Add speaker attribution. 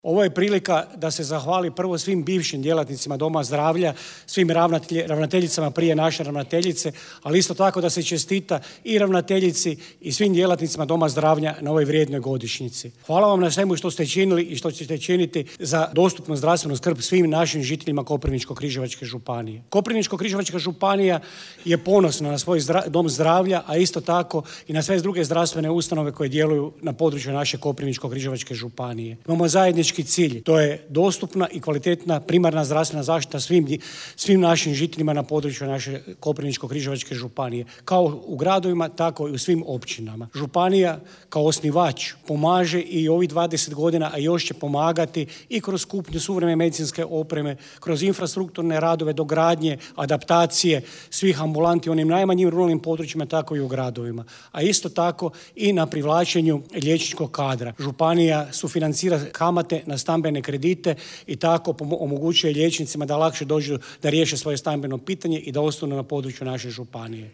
Speaker 1: Ovo je prilika da se zahvali prvo svim bivšim djelatnicima Doma zdravlja, svim ravnateljicama prije naše ravnateljice, ali isto tako da se čestita i ravnateljici i svim djelatnicima Doma zdravlja na ovoj vrijednoj godišnjici. Hvala vam na svemu što ste činili i što ćete činiti za dostupnu zdravstvenu skrb svim našim žiteljima Koprivničko-križevačke županije. Koprivničko-križevačka županija je ponosna na svoj Dom zdravlja, a isto tako i na sve druge zdravstvene ustanove koje djeluju na području naše Koprivničko-križevačke županije. Imamo zajednički cilj, to je dostupna i kvalitetna primarna zdravstvena zaštita svim našim žiteljima na području naše Koprivničko-križevačke županije, kao u gradovima, tako i u svim općinama. Županija kao osnivač pomaže i ovih 20 godina, a još će pomagati i kroz kupnju suvremene medicinske opreme, kroz infrastrukturne radove, dogradnje, adaptacije svih ambulanti u onim najmanjim ruralnim područjima, tako i u gradovima. A isto tako i na privlačenju liječničkog kadra. Županija sufinancira kamate na stambene kredite i tako omogućuje liječnicima da lakše dođu da riješe svoje stambeno pitanje i da ostanu na području naše županije.